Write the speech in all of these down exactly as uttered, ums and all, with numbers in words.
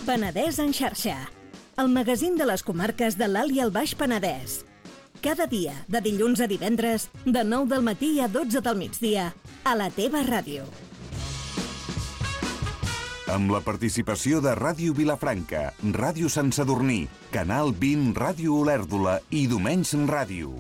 Penedès en xarxa, el magazín de les comarques de l'Alt i el Baix Penedès. Cada dia, de dilluns a divendres, de nou del matí a dotze del migdia, a la teva ràdio. Amb la participació de Ràdio Vilafranca, Ràdio Sant Sadurní, Canal vint, Ràdio Olèrdola i Domenys Ràdio.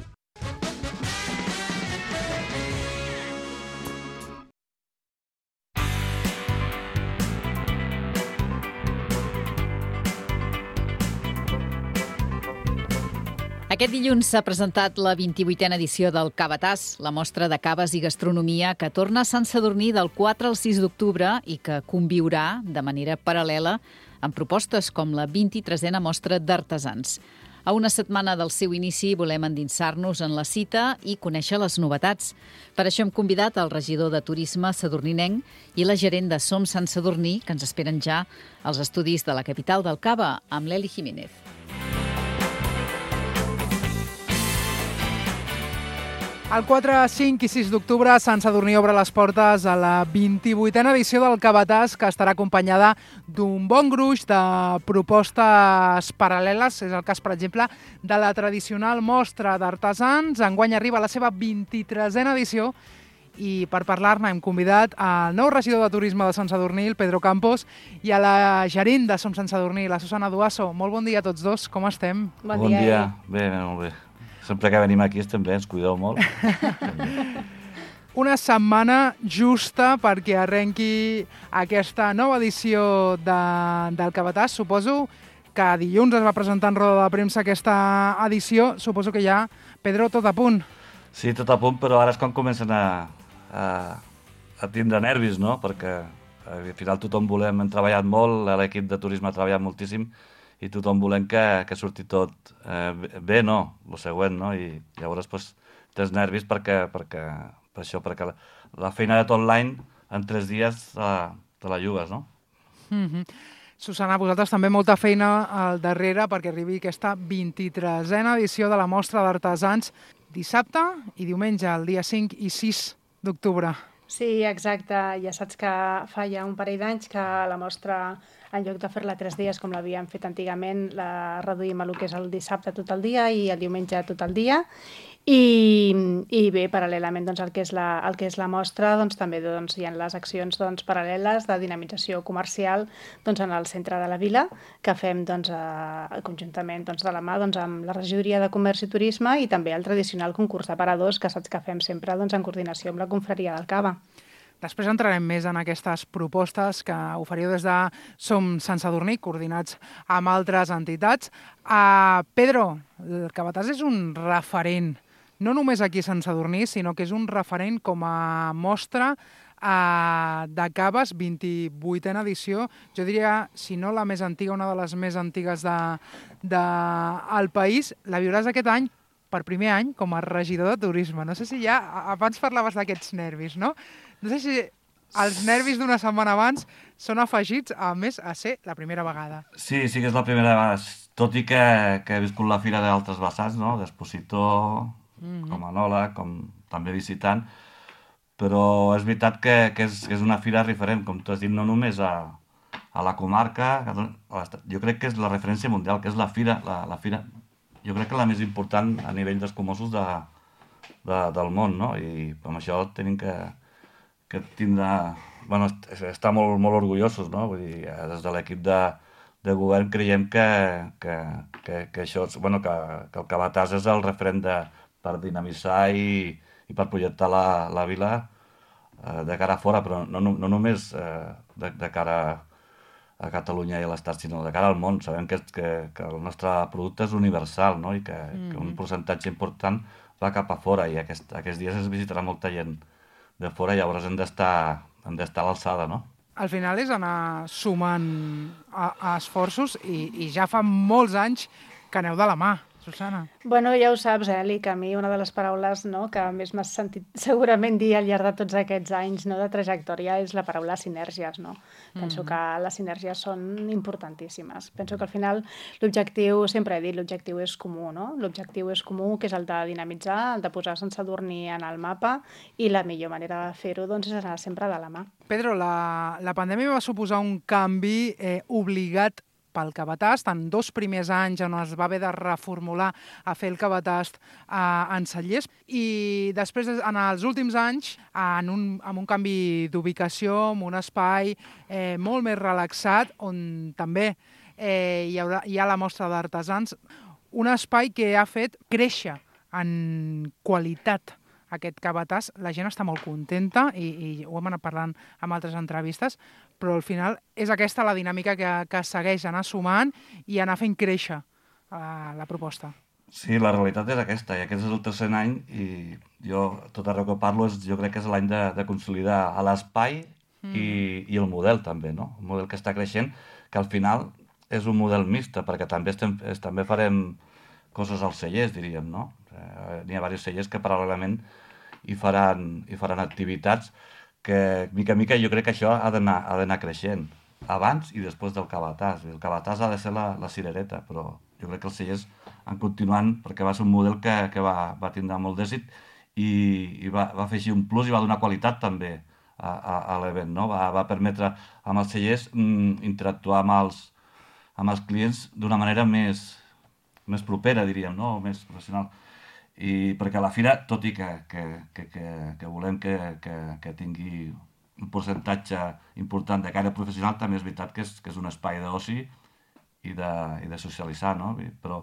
Aquest dilluns s'ha presentat la vint-i-vuitena edició del Cavatàs, la mostra de caves i gastronomia que torna a Sant Sadurní del quatre al sis d'octubre i que conviurà de manera paral·lela amb propostes com la vint-i-tresena mostra d'artesans. A una setmana del seu inici volem endinsar-nos en la cita i conèixer les novetats. Per això hem convidat el regidor de Turisme sadurninenc i la gerent de Som Sant Sadurní, que ens esperen ja als estudis de la capital del Cava, amb l'Eli Jiménez. El quatre, cinc i sis d'octubre, Sant Sadurní obre les portes a la vint-i-vuitena edició del Cavatàs, que estarà acompanyada d'un bon gruix de propostes paral·leles. És el cas, per exemple, de la tradicional mostra d'artesans. Enguany arriba a la seva vint-i-tresena edició i per parlar-ne hem convidat al nou regidor de Turisme de Sant Sadurní, el Pedro Campos, i a la gerent de Som Sant Sadurní, la Susana Duasso. Molt bon dia a tots dos, com estem? Bon, bon dia. dia. Bé, bé, molt bé. Sempre que venim aquí estem bé, ens cuideu molt. Una setmana justa perquè arrenqui aquesta nova edició de, del Cavatàs. Suposo que dilluns es va presentar en roda de premsa aquesta edició. Suposo que ja, Pedro, tot a punt. Sí, tot a punt, però ara és quan comencen a, a, a tindre nervis, no? Perquè al final tothom volem, hem treballat molt, l'equip de turisme ha treballat moltíssim, i tothom volem que, que surti tot eh, bé, no? El següent, no? I llavors pues, tens nervis perquè, perquè, per això, perquè la, la feina de tot l'any en tres dies uh, te la jugues, no? Mm-hmm. Susana, vosaltres també molta feina al darrere perquè arribi aquesta vint-i-tresena edició de la mostra d'artesans dissabte i diumenge, el dia cinc i sis d'octubre. Sí, exacte. Ja saps que fa ja un parell d'anys que la mostra, en lloc de fer-la tres dies com l'havíem fet antigament, la reduïm a el que és el dissabte tot el dia i el diumenge tot el dia. I, i bé, paral·lelament doncs, el, que és la, el que és la mostra, doncs, també doncs, hi ha les accions doncs, paral·leles de dinamització comercial doncs, en el centre de la vila, que fem doncs, a, conjuntament doncs, de la mà doncs, amb la regidoria de Comerç i Turisme i també el tradicional concurs d'aparadors, que saps que fem sempre doncs, en coordinació amb la confraria del Cava. Després entrarem més en aquestes propostes que oferiu des de Som Sant Sadurní, coordinats amb altres entitats. Uh, Pedro, el Cavatàs és un referent, no només aquí a Sant Sadurní, sinó que és un referent com a mostra uh, de caves, vint-i-vuitena edició. Jo diria, si no la més antiga, una de les més antigues del de, de, país. La viuràs aquest any, per primer any, com a regidor de Turisme. No sé si ja, abans parlaves d'aquests nervis, no? No sé si els nervis d'una setmana abans són afegits, a més, a ser la primera vegada. Sí, sí que és la primera vegada. Tot i que, que he viscut la fira d'altres vessants, no? D'expositor, mm-hmm. com a enòleg, com també visitant, però és veritat que, que, és, que és una fira referent, com tu has dit, no només a, a la comarca, jo crec que és la referència mundial, que és la fira, la, la fira, jo crec que la més important a nivell d'escumosos de, de, del món, no? I amb això tenim que que tindrà, bueno, està molt, molt orgullosos, no? Vull dir, des de l'equip de, de govern creiem que, que, que, que això, bueno, que, que el Cavatàs és el referent de, per dinamitzar i, i per projectar la, la vila eh, de cara a fora, però no, no, no només eh, de, de cara a Catalunya i a l'Estat, sinó de cara al món. Sabem que, que, que el nostre producte és universal, no? I que, mm-hmm. que un percentatge important va cap a fora i aquest, aquests dies es visitarà molta gent de fora, llavors hem d'estar hem d'estar a l'alçada, no? Al final és anar sumant a, a esforços i, i ja fa molts anys que aneu de la mà, Susana. Bueno, ja ho saps, Eli, que a mi una de les paraules no, que més m'has sentit segurament dir al llarg de tots aquests anys no, de trajectòria és la paraula sinergies, no? Mm-hmm. Penso que les sinergies són importantíssimes. Penso que al final l'objectiu, sempre he dit, l'objectiu és comú, no? L'objectiu és comú, que és el de dinamitzar, el de posar Sant Sadurní en el mapa i la millor manera de fer-ho doncs, és anar sempre de la mà. Pedro, la, la pandèmia va suposar un canvi eh, obligat pel cabatast, en dos primers anys on es va haver de reformular a fer el cabatast eh, en cellers, i després, en els últims anys, en un, amb un canvi d'ubicació, amb un espai eh, molt més relaxat, on també eh, hi, haurà, hi ha la mostra d'artesans, un espai que ha fet créixer en qualitat aquest cabatàs. La gent està molt contenta i, i ho hem anat parlant amb altres entrevistes, però al final és aquesta la dinàmica que, que segueix anar sumant i anar fent créixer uh, la proposta. Sí, la realitat és aquesta, i aquest és el tercer any, i jo tot arreu que parlo és, jo crec que és l'any de, de consolidar a l'espai mm. i, i el model també, no? Un model que està creixent, que al final és un model mixta, perquè també, estem, es, també farem coses als cellers, diríem, no? Eh, n'hi ha diversos cellers que paral·lelament hi faran, hi faran activitats que, mica a mica, jo crec que això ha d'anar ha d'anar creixent, abans i després del cabatàs. El cabatàs ha de ser la, la cirereta, però jo crec que els cellers han continuant, perquè va ser un model que, que va, va tindre molt d'èxit i, i va, va fer així un plus i va donar qualitat també a, a, a l'event, no? Va, va permetre amb els cellers mm, interactuar amb els, amb els clients d'una manera més, més propera, diríem, no? Més professional. I perquè a la fira, tot i que, que, que, que, que volem que, que, que tingui un percentatge important de caire professional, també és veritat que és, que és un espai d'oci i de, i de socialitzar, no? Però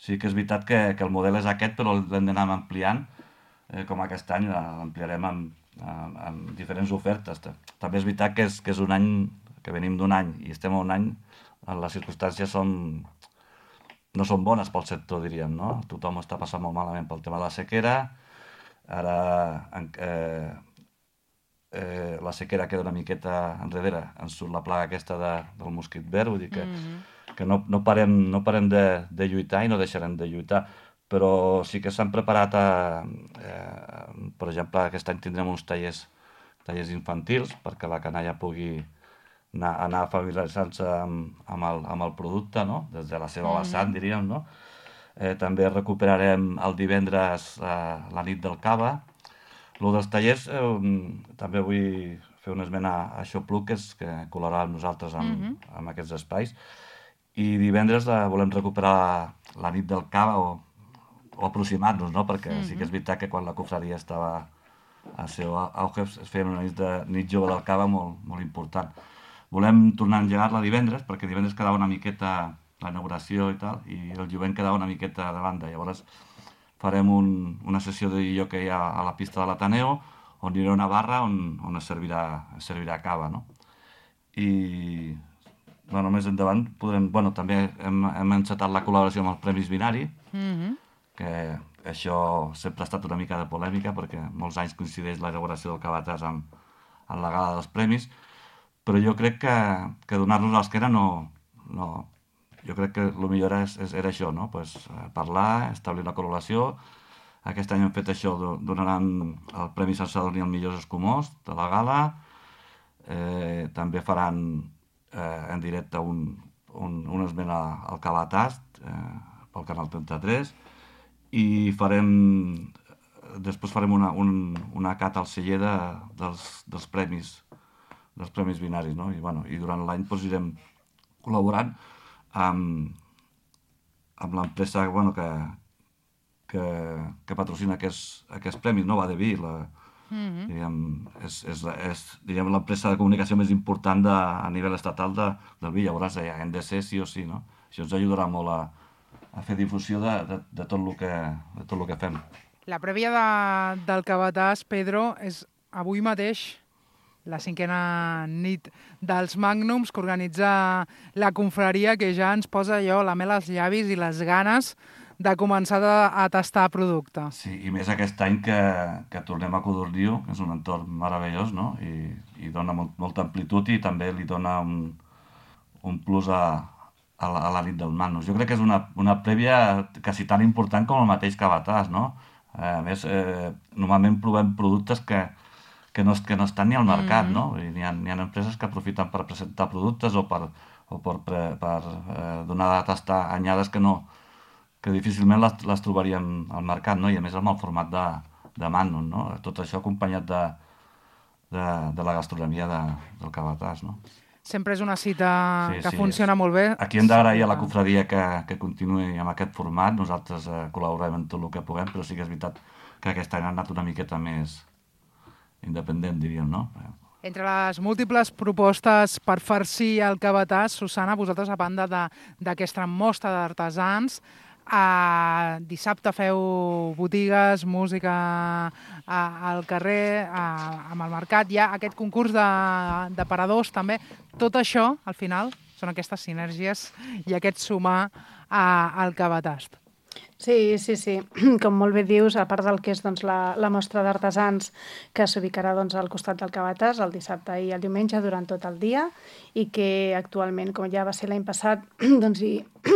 sí que és veritat que, que el model és aquest, però l'hem d'anar ampliant, eh, com aquest any l'ampliarem amb, amb, amb diferents ofertes. També és veritat que és, que és un any, que venim d'un any i estem a un any, les circumstàncies són... no són bones pel sector, diríem, no? Tothom està passant molt malament pel tema de la sequera, ara eh, eh, la sequera queda una miqueta enrere, ens surt la plaga aquesta de, del mosquit verd, vull dir que, mm-hmm. que no, no parem, no parem de, de lluitar i no deixarem de lluitar, però sí que s'han preparat, a, eh, per exemple, aquest any tindrem uns tallers, tallers infantils perquè la canalla pugui anar, anar familiaritzant-se amb, amb, el, amb el producte, no? Des de la seva vessant, diríem, no? Eh, també recuperarem el divendres eh, la nit del cava. Lo dels tallers, eh, també vull fer una esmena a Xopluc, que, és, que col·laborarà amb nosaltres amb, mm-hmm. amb aquests espais. I divendres eh, volem recuperar la, la nit del cava o, o aproximar-nos, no? Perquè mm-hmm. sí que és veritat que quan la cofradia estava a seu auge es feien una nit, de, nit jove del cava molt, molt important. Volem tornar a engegar-la divendres, perquè divendres quedava una miqueta la inauguració i tal, i el jovent quedava una miqueta de banda. Llavors farem un, una sessió de jockey a, a la pista de l'Ateneo, on hi haurà una barra on, on es, servirà, es servirà cava, no? I bueno, més endavant podrem... Bueno, també hem, hem encetat la col·laboració amb els Premis Binari, mm-hmm. que això sempre ha estat una mica de polèmica, perquè molts anys coincideix la inauguració del cabatàs amb, amb la gala dels premis, però jo crec que, que donar-nos l'esquena no, no... Jo crec que el millor és, és, era això, no? Pues, parlar, establir una col·laboració. Aquest any hem fet això, donaran el Premi Sant Sadurní als millors escumós de la gala. Eh, també faran eh, en directe un, un, un esment al cabatàs eh, pel Canal trenta-tres i farem... Després farem una, un, una cata al celler de, dels, dels premis dels Premis Binaris, no? I, bueno, i durant l'any doncs, irem col·laborant amb, amb l'empresa bueno, que, que, que patrocina aquests, aquests premis, no? Vadeví, la, mm-hmm. diguem, és, és, és diguem, l'empresa de comunicació més important de, a nivell estatal de, del vi. Llavors ja hem de ser sí o sí, no? Això ens ajudarà molt a, a fer difusió de, de, de, tot el que, de tot el que fem. La prèvia de, del cabatàs, Pedro, és avui mateix la cinquena nit dels Magnums que organitza la confraria, que ja ens posa allò la mel als llavis i les ganes de començar a, a tastar producte. Sí, i més aquest any que, que tornem a Codorniu, que és un entorn meravellós, no? I, i dona molt, molta amplitud i també li dona un, un plus a, a, la, a la nit del Magnus. Jo crec que és una, una prèvia quasi tan important com el mateix cabatàs, no? A més, eh, normalment provem productes que que no, que no estan ni al mercat, mm. no? Hi ha, hi ha empreses que aprofiten per presentar productes o per, o per, per, per eh, donar a tastar anyades que no, que difícilment les, les trobaríem al mercat, no? I a més amb el format de, de Magnum, no? Tot això acompanyat de, de, de la gastronomia de, del cabatàs, no? sempre és una cita Sí, que sí, funciona és- molt bé. Aquí hem d'agrair a la confraria que, que continuï amb aquest format. Nosaltres eh, col·laborem en tot el que puguem, però sí que és veritat que aquest any ha anat una miqueta més independent, diríem, no? Entre les múltiples propostes per farcir el cabàtàs, Susana, vosaltres, a banda de- d'aquesta mostra d'artesans, eh, dissabte feu botigues, música a, al carrer, a, amb el mercat, hi ha aquest concurs de, de paradors també. Tot això, al final, són aquestes sinergies i aquest sumar a, al cabàtàs. Sí, sí, sí. Com molt bé dius, a part del que és doncs, la, la mostra d'artesans que s'ubicarà doncs, al costat del cabàtàs el dissabte i el diumenge durant tot el dia i que actualment, com ja va ser l'any passat, doncs hi,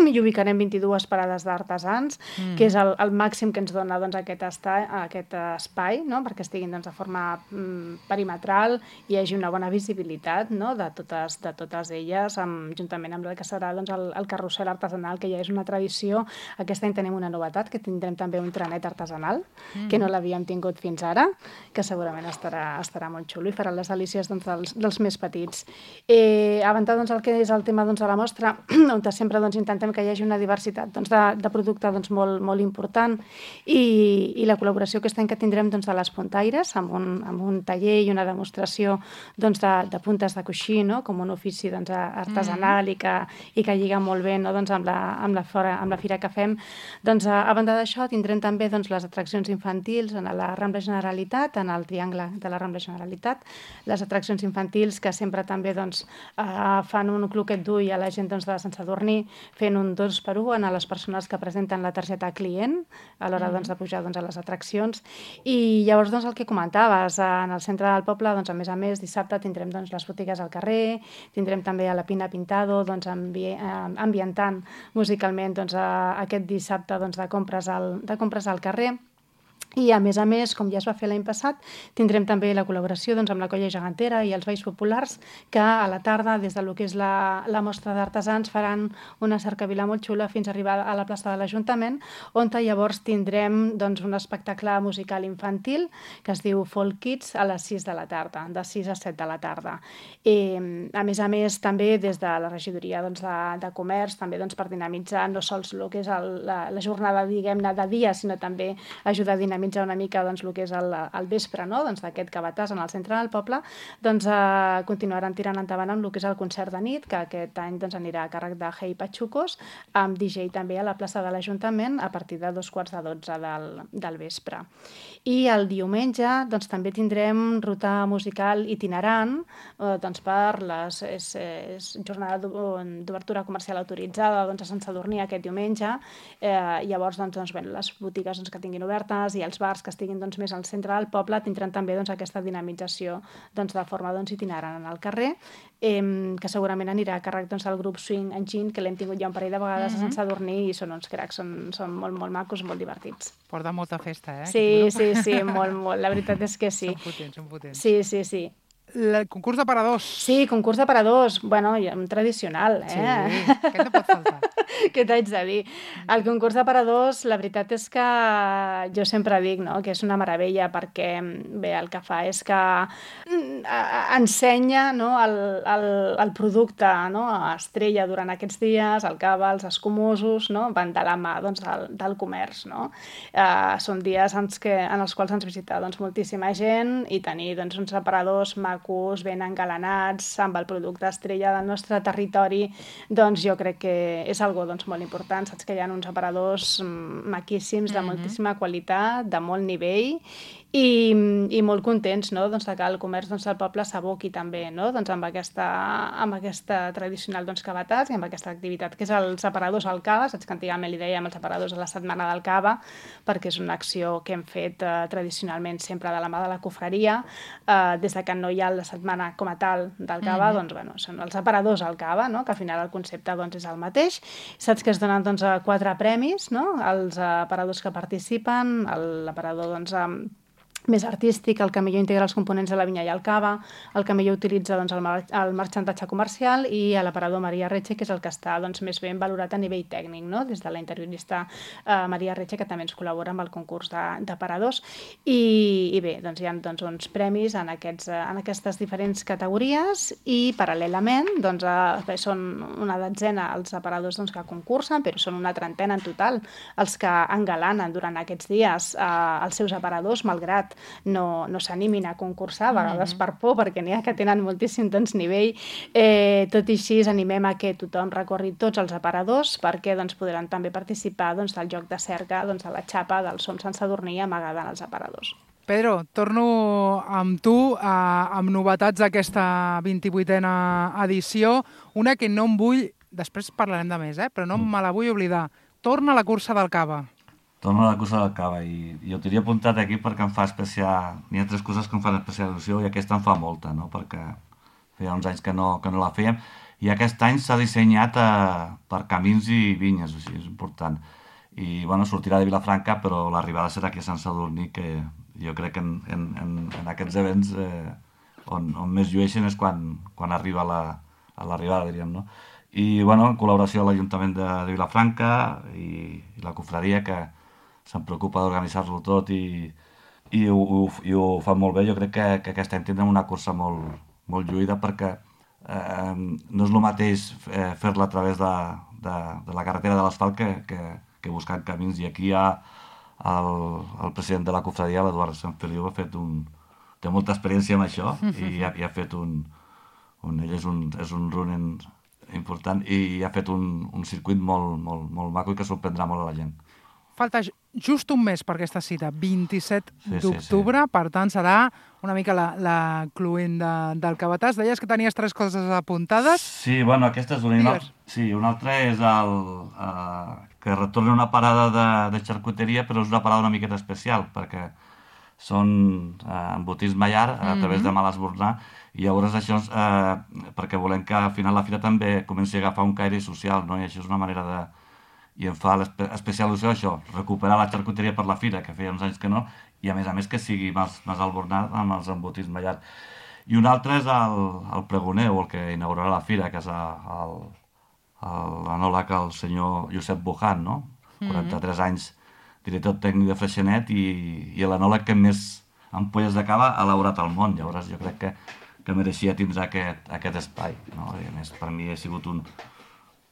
hi ubicarem vint-i-dues parades d'artesans, mm. que és el, el màxim que ens dona doncs, aquest, esta, aquest espai, no? Perquè estiguin doncs, de forma mm, perimetral i hi hagi una bona visibilitat, no? de, totes, de totes elles, amb, juntament amb el que serà doncs, el, el carrusel artesanal, que ja és una tradició. Aquest any tenim una novetat, que tindrem també un trenet artesanal, mm. que no l'havíem tingut fins ara, que segurament estarà, estarà molt xulo i farà les delícies doncs, dels, dels més petits. Eh, a banda doncs, el que és el tema doncs, de la mostra, on sempre doncs, intentem que hi hagi una diversitat doncs, de, de producte doncs, molt, molt important i, i la col·laboració aquest any que tindrem doncs, de les puntaires, amb un, amb un taller i una demostració doncs, de, de puntes de coixí, no? Com un ofici doncs, artesanal mm. i, que, i que lliga molt bé no? doncs, amb, la, amb, la fora, amb la fira que fem. Doncs, a banda d'això, tindrem també doncs, les atraccions infantils en la Rambla Generalitat, en el triangle de la Rambla Generalitat, les atraccions infantils que sempre també doncs, eh, fan un cloquet d'ull a la gent doncs, de Sant Sadurní, fent un dos per un a les persones que presenten la targeta client a l'hora doncs, de pujar doncs, a les atraccions. I llavors doncs, el que comentaves, en el centre del poble, doncs, a més a més, dissabte tindrem doncs, les botigues al carrer, tindrem també a la Pina Pintado doncs, ambi ambientant musicalment doncs, a, aquest dissabte doncs, de compres al, de compres al carrer. I, a més a més, com ja es va fer l'any passat, tindrem també la col·laboració doncs, amb la Colla Gegantera i els Balls Populars, que a la tarda, des del que és la, la mostra d'artesans, faran una cercavila molt xula fins a arribar a la plaça de l'Ajuntament, on llavors tindrem doncs, un espectacle musical infantil que es diu Folk Kids a les sis de la tarda, de sis a set de la tarda. I, a més a més, també des de la regidoria doncs, de, de comerç, també doncs, per dinamitzar no sols el que és el, la, la jornada, diguem-ne, de dia, sinó també ajudar a dinamitzar una mica doncs, el que és el, el vespre no? doncs, d'aquest cabàtàs en el centre del poble, doncs eh, continuaran tirant endavant amb el que és el concert de nit, que aquest any doncs, anirà a càrrec de Hey Pachucos, amb D J també a la plaça de l'Ajuntament a partir de dos quarts de dotze del, del vespre. I el diumenge doncs, també tindrem ruta musical itinerant eh, doncs, per les és, és jornada d'obertura comercial autoritzada doncs, a Sant Sadurní aquest diumenge. Eh, llavors doncs, doncs, bé, les botigues doncs, que tinguin obertes i els bars que estiguin doncs, més al centre del poble tindran també doncs, aquesta dinamització doncs, de forma doncs, itinerant en el carrer, eh, que segurament anirà a càrrec doncs, del grup Swing Engine, que l'hem tingut ja un parell de vegades mm -hmm. a Sant Sadurní i són uns cracs, són, són molt, molt macos, molt divertits. Porta molta festa, eh? Sí, sí, sí, molt, molt. La veritat és que sí. Són potents, són potents. Sí, sí, sí. El concurs de paradors. Sí, concurs de paradors. Bueno, un tradicional, eh? Sí, aquest no pot faltar. Què t'haig de dir? El concurs de paradors, la veritat és que jo sempre dic no? que és una meravella perquè, bé, el que fa és que ensenya no? el, el, el producte no? estrella durant aquests dies, el cava, els escumosos, no? van de la mà doncs, del, del comerç. No? Uh, són dies en, que, en els quals ens visita doncs, moltíssima gent i tenir doncs, uns aparadors macos, ben engalanats, amb el producte estrella del nostre territori, doncs jo crec que és algo doncs, molt important. Saps que hi ha uns aparadors maquíssims, de moltíssima qualitat, de molt nivell, i, i molt contents no? doncs, que el comerç doncs, del poble s'aboqui també no? doncs, amb, aquesta, amb aquesta tradicional doncs, cabàtàs i amb aquesta activitat que és els aparadors al cava. Saps que antigament li dèiem els aparadors a la setmana del cava perquè és una acció que hem fet eh, tradicionalment sempre de la mà de la cofreria, eh, des de que no hi ha la setmana com a tal del cava, mm-hmm. doncs bueno, són els aparadors al cava, no? que al final el concepte doncs, és el mateix. Saps que es donen doncs, quatre premis no? als aparadors que participen, l'aparador doncs, amb més artístic, el que millor integra els components de la vinya i el cava, el que millor utilitza doncs, el, mar el marxantatge comercial i l'aparador Maria Retxe, que és el que està doncs, més ben valorat a nivell tècnic, no? Des de la interiorista eh, Maria Retxe, que també ens col·labora amb el concurs d'aparadors. I, I bé, doncs, hi ha doncs, uns premis en, aquests, en aquestes diferents categories i, paral·lelament, doncs, eh, són una dotzena els aparadors doncs, que concursen, però són una trentena en total els que engalanen durant aquests dies eh, els seus aparadors, malgrat no, no s'animin a concursar, a vegades mm-hmm. per por, perquè n'hi ha que tenen moltíssim doncs, nivell. Eh, tot i així, animem a que tothom recorri tots els aparadors perquè doncs, podran també participar doncs, del joc de cerca doncs, a la xapa del Som Sant Sadurní amagada en els aparadors. Pedro, torno amb tu eh, amb novetats d'aquesta vint-i-vuitena edició. Una que no em vull, després parlarem de més, eh, però no me la vull oblidar. Torna la cursa del cava. Torno a la cursa del cava i, i ho tenia apuntat aquí perquè em fa especial... N'hi ha tres coses que em fan especial il·lusió i aquesta em fa molta, no? Perquè feia uns anys que no, que no la fèiem i aquest any s'ha dissenyat eh, per camins i vinyes, o sigui, és important. I, bueno, sortirà de Vilafranca, però l'arribada serà aquí a Sant Sadurní, que jo crec que en, en, en, en aquests events eh, on, on més llueixen és quan, quan arriba la, a l'arribada, diríem, no? I, bueno, en col·laboració amb l'Ajuntament de, de Vilafranca i, i la cofradia, que se'n preocupa d'organitzar-lo tot i, i, ho, ho, i ho fa molt bé. Jo crec que, que aquest any tindrem una cursa molt, molt lluïda perquè eh, no és el mateix eh, fer-la a través de, de, de la carretera de l'asfalt que, que, que buscant camins. I aquí hi ha el, el president de la cofradia, l'Eduard Sanfeliu, ha fet un, té molta experiència amb això i ha, i ha fet un, un... Ell és un, és un runner important i ha fet un, un circuit molt, molt, molt maco i que sorprendrà molt a la gent. Falta just un mes per aquesta cita, vint-i-set d'octubre, sí, sí. Per tant serà una mica la, la cluent de, del Cavatàs. Deies que tenies tres coses apuntades. Sí, bueno, aquesta és una. Digues. Sí, una altra és el, uh, que retorna una parada de, de xarcuteria, però és una parada una miqueta especial, perquè són uh, embotits Maiar a mm-hmm. través de Malesbornar, i llavors això és uh, perquè volem que al final la fira també comenci a agafar un caire social, no? I això és una manera de... I em fa especial il·lusió això, recuperar la xarcuteria per la fira, que feia uns anys que no, i a més a més que sigui més, més albornat amb els embotits Maiar. I un altre és el, el pregoner, o el que inaugurarà la fira, que és l'anòleg, el, el senyor Josep Bujan, no? quaranta-tres mm-hmm. anys, director tècnic de Freixenet, i, i l'anòleg que més ampolles de cava ha elaborat al món. Llavors jo crec que, que mereixia tindre aquest, aquest espai, no? I a més, per mi ha sigut un...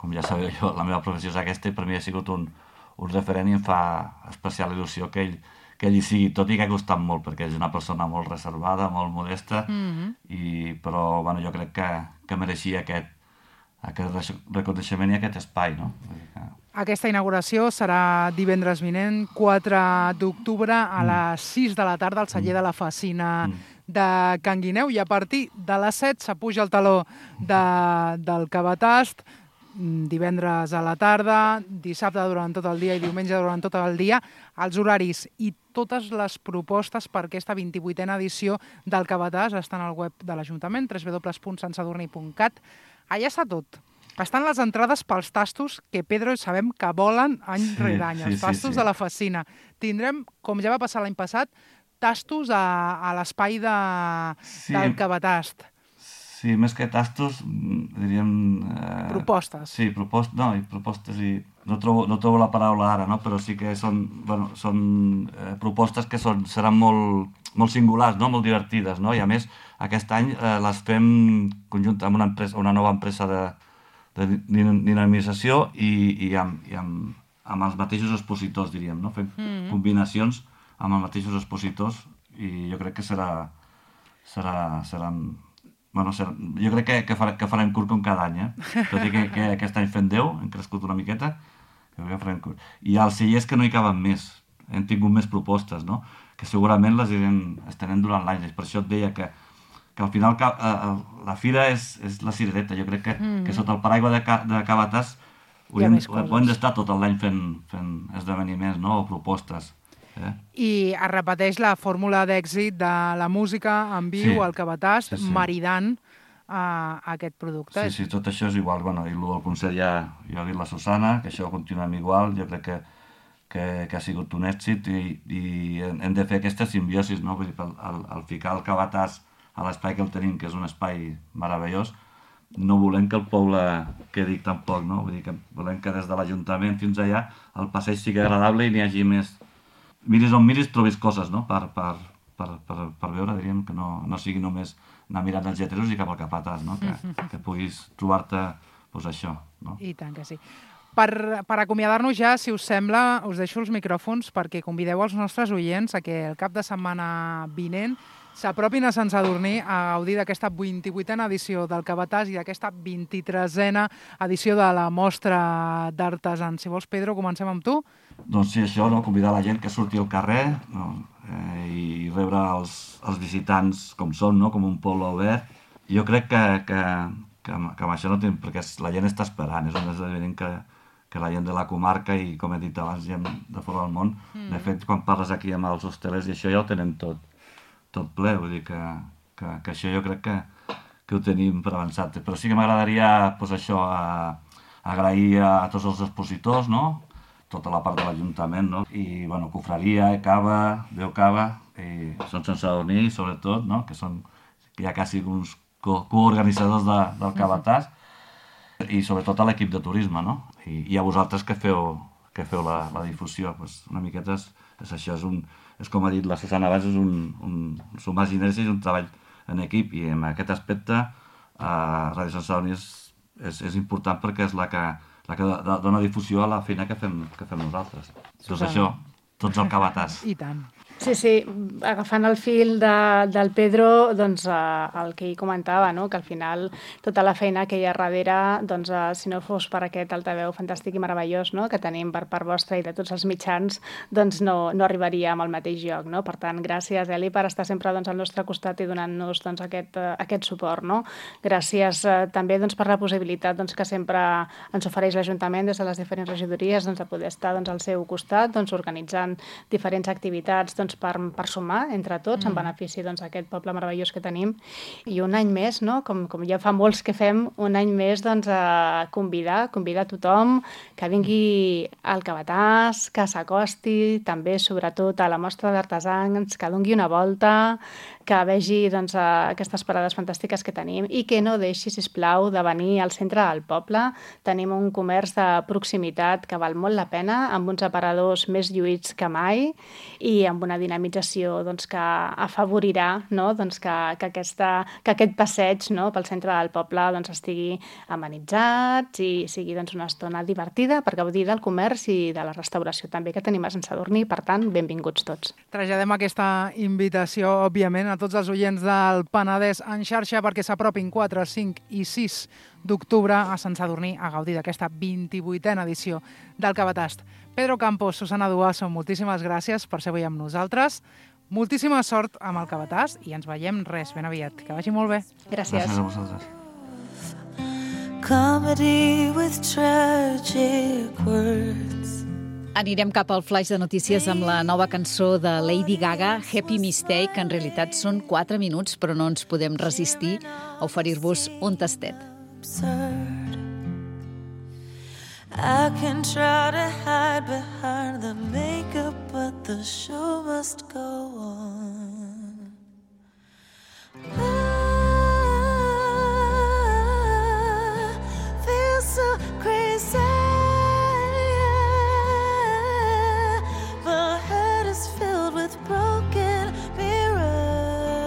Com ja sabeu, jo, la meva professió és aquesta i per mi ha sigut un, un referent i em fa especial il·lusió que ell, que ell hi sigui, tot i que ha costat molt, perquè és una persona molt reservada, molt modesta, mm-hmm. i, però bueno, jo crec que, que mereixia aquest, aquest reconeixement i aquest espai, no? Que... Aquesta inauguració serà divendres vinent, quatre d'octubre, a mm. les sis de la tarda, al celler mm. de la Facina mm. de Can Guineu, i a partir de les set s'apuja el taló de, del Cavatast, divendres a la tarda, dissabte durant tot el dia i diumenge durant tot el dia, els horaris i totes les propostes per aquesta vint-i-vuitena edició del Cavatàs estan al web de l'Ajuntament, w w w punt sant sadurní punt cat. Allà està tot. Estan les entrades pels tastos que, Pedro, sabem que volen any sí, rere any, els sí, tastos sí, sí. de la Facina. Tindrem, com ja va passar l'any passat, tastos a, a l'espai de, sí. del Cavatàs. Sí, més que tastos, diríem... Eh, propostes. Sí, propostes, no, i propostes i... No trobo, no trobo la paraula ara, no? Però sí que són, bueno, són eh, propostes que són, seran molt, molt singulars, no? Molt divertides, no? I a més, aquest any eh, les fem conjunt amb una, empresa, una nova empresa de, de dinamització i, i, amb, i amb, amb els mateixos expositors, diríem, no? Fem mm-hmm. combinacions amb els mateixos expositors i jo crec que serà... serà, serà Bueno, jo crec que, que, farem, que farem curt com cada any, eh? Tot i que, que aquest any fem deu, hem crescut una miqueta, jo crec que farem curt. I als cellers que no hi caben més, hem tingut més propostes, no? Que segurament les irem estenent durant l'any. Per això et deia que, que al final eh, la fira és, és la cirereta. Jo crec que, mm. que sota el paraigua de, de Cavatàs ho hem, ho hem d'estar tot l'any fent, fent esdeveniments, no? O propostes. Eh? I es repeteix la fórmula d'èxit de la música en viu, sí, al Cavatàs, sí, sí. maridant uh, aquest producte. Sí, sí, tot això és igual. Bueno, i el concert ja, ja ha dit la Susana, que això continuem igual. Jo crec que, que, que ha sigut un èxit i, i hem de fer aquesta simbiosi, no? Vull dir, al, al, al ficar el Cabàtàs a l'espai que el tenim, que és un espai meravellós, no volem que el poble quedi tampoc, no? Vull dir que volem que des de l'Ajuntament fins allà el passeig sigui agradable i n'hi hagi més... Miris on miris trobis coses, no? Per, per, per, per, per veure, diríem, que no, no sigui només anar mirant els lleteros i cap al Capatàs, no? Que, que puguis trobar-te, doncs això, no? I tant que sí. Per, per acomiadar-nos ja, si us sembla, us deixo els micròfons perquè convideu els nostres oients a que el cap de setmana vinent s'apropin a Sant Sadurní a gaudir d'aquesta vint-i-vuitena edició del Cabàtàs i d'aquesta vint-i-tresena edició de la Mostra d'Artesans. Si vols, Pedro, comencem amb tu. Doncs sí, això, no? Convidar la gent que surti al carrer, no? eh, i rebre els, els visitants com són, no? Com un poble obert. Jo crec que, que, que, que amb això no té... perquè la gent està esperant, és un esdeveniment que, que la gent de la comarca i, com he dit abans, gent de fora del món. Mm. De fet, quan parles aquí amb els hostelers i això ja ho tenen tot. tot ple, vull dir que, que, que això jo crec que, que ho tenim per avançat. Però sí que m'agradaria, doncs això, a, agrair a tots els expositors, no? Tota la part de l'Ajuntament, no? I, bueno, Cofraria, Cava, Veu Cava, i són Sant Sadurní, sobretot, no? Que són ja quasi uns co coorganitzadors de, del Cabàtàs, i sobretot a l'equip de turisme, no? I, i a vosaltres que feu, que feu la, la difusió, doncs una miqueta és, és això, és un... és com ha dit la Susana abans, és un, un sumar sinergies i un treball en equip, i en aquest aspecte eh, Ràdio Sant Sadurní és, és, és important perquè és la que, la que dona difusió a la feina que fem, que fem nosaltres. Doncs això, tots al Cabàtàs. I tant. Sí, sí, agafant el fil de, del Pedro, doncs eh, el que ell comentava, no? Que al final tota la feina que hi ha darrere, doncs, eh, si no fos per aquest altaveu fantàstic i meravellós, no? Que tenim per part vostra i de tots els mitjans, doncs no, no arribaríem al mateix lloc, no? Per tant, gràcies, Eli, per estar sempre doncs, al nostre costat i donant-nos doncs, aquest, eh, aquest suport, no? Gràcies eh, també doncs, per la possibilitat doncs, que sempre ens ofereix l'Ajuntament des de les diferents regidories doncs, de poder estar doncs, al seu costat, doncs, organitzant diferents activitats doncs, Per, per sumar entre tots, mm. en benefici doncs, d'aquest poble meravellós que tenim. I un any més, no? com, com ja fa molts que fem, un any més doncs, a convidar, convidar tothom que vingui al Cabàtàs, que s'acosti, també sobretot a la Mostra d'Artesans, que doni una volta, que vegi doncs, aquestes parades fantàstiques que tenim i que no deixi, sisplau, de venir al centre del poble. Tenim un comerç de proximitat que val molt la pena, amb uns aparadors més lluïts que mai i amb una dinamització doncs, que afavorirà no? doncs, que, que, aquesta, que aquest passeig no? pel centre del poble doncs, estigui amenitzat i sigui doncs, una estona divertida per gaudir del comerç i de la restauració també que tenim a Sant Sadurní. Per tant, benvinguts tots. Traslladem aquesta invitació, òbviament, a tots els oients del Penedès en xarxa perquè s'apropin quatre, cinc i sis d'octubre a Sant Sadurní a gaudir d'aquesta vint-i-vuitena edició del Cabàtàs. Pedro Campos, Susana Duaso, moltíssimes gràcies per ser avui amb nosaltres. Moltíssima sort amb el Cabàtàs i ens veiem res ben aviat. Que vagi molt bé. Gràcies. Gràcies a vosaltres. Comedy with tragic words. Anirem cap al flaix de notícies amb la nova cançó de Lady Gaga, Happy Mistake, que en realitat són quatre minuts, però no ens podem resistir a oferir-vos un tastet. Absurd. I can try to hide behind the makeup, but the show must go on. I feel so crazy. My head is filled with broken mirrors.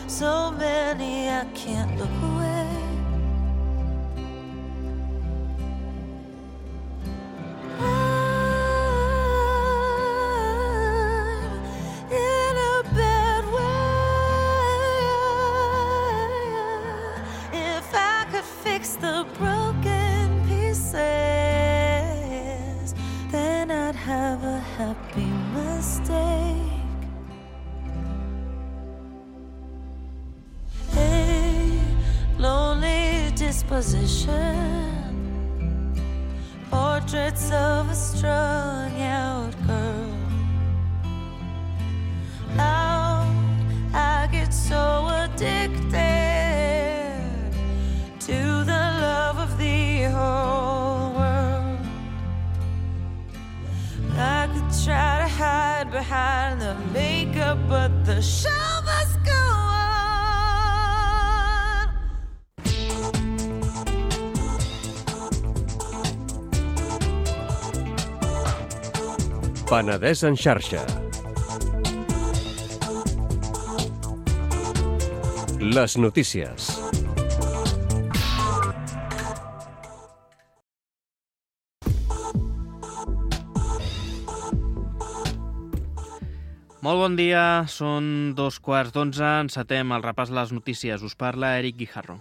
So many I can't look away. The broken pieces, then I'd have a happy mistake. A lonely disposition, portraits of a strung out girl. Now I get so addicted to the love of the whole world. behind the makeup, but the show must go on. Penedès en xarxa. Les notícies. Molt bon dia, són dos quarts d'onze, encetem el repàs de les notícies. Us parla Eric Guijarro.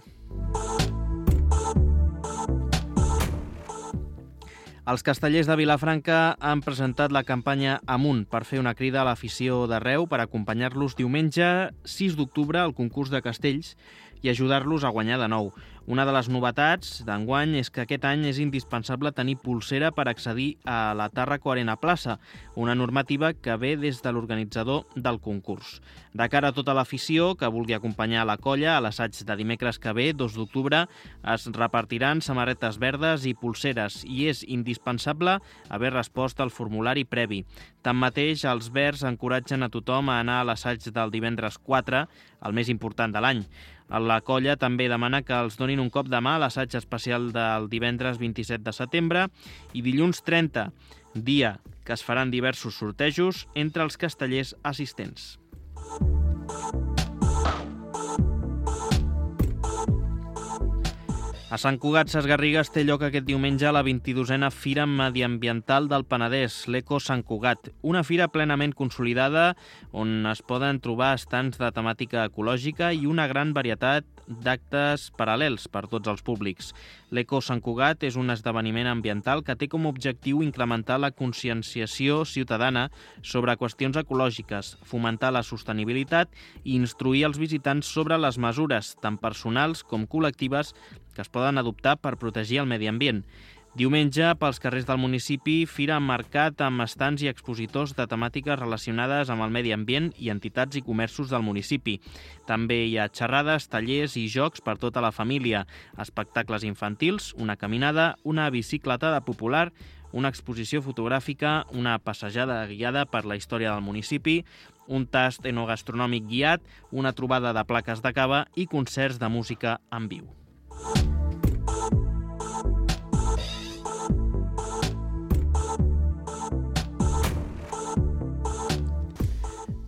Els castellers de Vilafranca han presentat la campanya Amunt per fer una crida a l'afició d'arreu per acompanyar-los diumenge sis d'octubre al concurs de castells i ajudar-los a guanyar de nou. Una de les novetats d'enguany és que aquest any és indispensable tenir pulsera per accedir a la Tàrraco Arena Plaça, una normativa que ve des de l'organitzador del concurs. De cara a tota l'afició que vulgui acompanyar la colla a l'assaig de dimecres que ve, dos d'octubre, es repartiran samarretes verdes i pulseres i és indispensable haver respost al formulari previ. Tanmateix, els verds encoratgen a tothom a anar a l'assaig del divendres quatre, el més important de l'any. La colla també demana que els donin un cop de mà a l'assaig especial del divendres vint-i-set de setembre i dilluns trenta, dia que es faran diversos sortejos entre els castellers assistents. A Sant Cugat Sesgarrigues té lloc aquest diumenge la vint-i-dosena Fira Mediambiental del Penedès, l'Eco Sant Cugat, una fira plenament consolidada on es poden trobar estants de temàtica ecològica i una gran varietat d'actes paral·lels per tots els públics. L'Eco Sant Cugat és un esdeveniment ambiental que té com a objectiu incrementar la conscienciació ciutadana sobre qüestions ecològiques, fomentar la sostenibilitat i instruir els visitants sobre les mesures, tant personals com col·lectives, que es poden adoptar per protegir el medi ambient. Diumenge, pels carrers del municipi, fira mercat amb estants i expositors de temàtiques relacionades amb el medi ambient i entitats i comerços del municipi. També hi ha xerrades, tallers i jocs per tota la família, espectacles infantils, una caminada, una bicicletada popular, una exposició fotogràfica, una passejada guiada per la història del municipi, un tast enogastronòmic guiat, una trobada de plaques de cava i concerts de música en viu.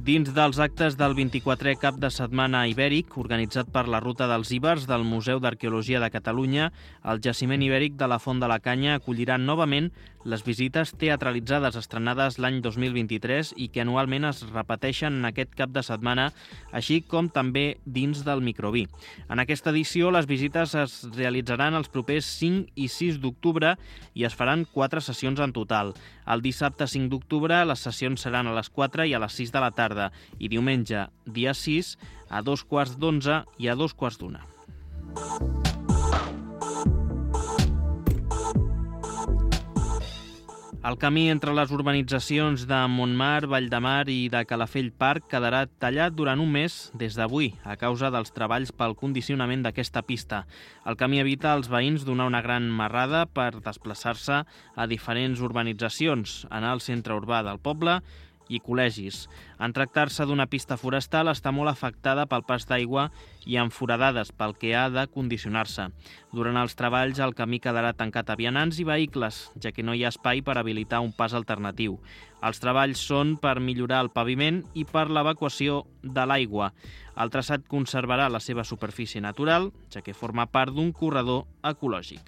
Dins dels actes del vint-i-quatrè cap de setmana ibèric, organitzat per la Ruta dels Ibers del Museu d'Arqueologia de Catalunya, el jaciment ibèric de la Font de la Canya acollirà novament les visites teatralitzades estrenades l'any dos mil vint-i-tres i que anualment es repeteixen en aquest cap de setmana, així com també dins del microví. En aquesta edició, les visites es realitzaran els propers cinc i sis d'octubre i es faran quatre sessions en total. El dissabte cinc d'octubre les sessions seran a les quatre i a les sis de la tarda i diumenge, dia sis, a dos quarts d'onze i a dos quarts d'una. El camí entre les urbanitzacions de Montmar, Valldemar i de Calafell Park quedarà tallat durant un mes des d'avui a causa dels treballs pel condicionament d'aquesta pista. El camí evita als veïns donar una gran marrada per desplaçar-se a diferents urbanitzacions, anar al centre urbà del poble i col·legis. En tractar-se d'una pista forestal està molt afectada pel pas d'aigua i amb foradades pel que ha de condicionar-se. Durant els treballs el camí quedarà tancat a vianants i vehicles, ja que no hi ha espai per habilitar un pas alternatiu. Els treballs són per millorar el paviment i per l'evacuació de l'aigua. El traçat conservarà la seva superfície natural, ja que forma part d'un corredor ecològic.